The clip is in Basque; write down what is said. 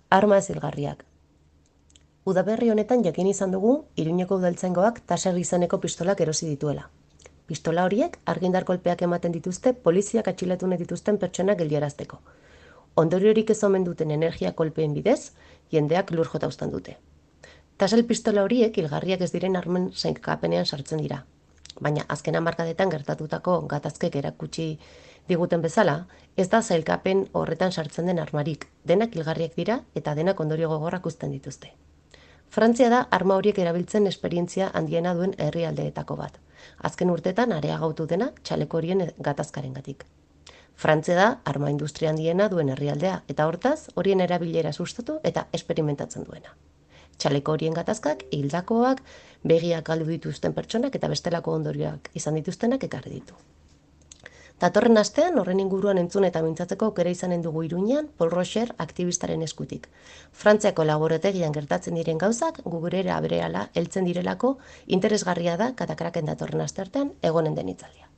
Arma zilgarriak. Udaberri honetan jakin izan dugu Iruñeko udaltzaingoak Taser izeneko pistolak erosi dituela. Pistola horiek argindar kolpeak ematen dituzte poliziak atxiletu nahi dituzten pertsonak geldiarazteko. Ondoriorik ez omen duten energia kolpeen bidez, jendeak lur jota uzten dute. Taser pistola horiek hilgarriak ez diren armen sailkapenean sartzen dira. Baina azken hamarkadetan gertatutako gatazkek erakutsi diguten bezala, ez da sailkapen horretan sartzen den armarik, denak hilgarriak dira eta denak ondorio gogorrak uzten dituzte. Frantzia da arma horiek erabiltzen esperientzia handiena duen herrialdeetako bat. Azken urtetan areagotu dena txaleko horien gatazkarengatik. Frantzia da arma industria handiena duen herrialdea eta hortaz horien erabilera sustatu eta esperimentatzen duena. Txaleko horien gatazkak, hildakoak, begiak galdu dituzten pertsonak eta bestelako ondorioak izan dituztenak ekarri ditu. Datorren astean horren inguruan entzun eta mintzatzeko aukera izanen dugu Iruñean Paul Rocher aktivistaren eskutik. Frantziako laborategian gertatzen diren gauzak gurera berehala heltzen direlako interesgarria da katakraken datorren asteartean egonen den hitzaldia.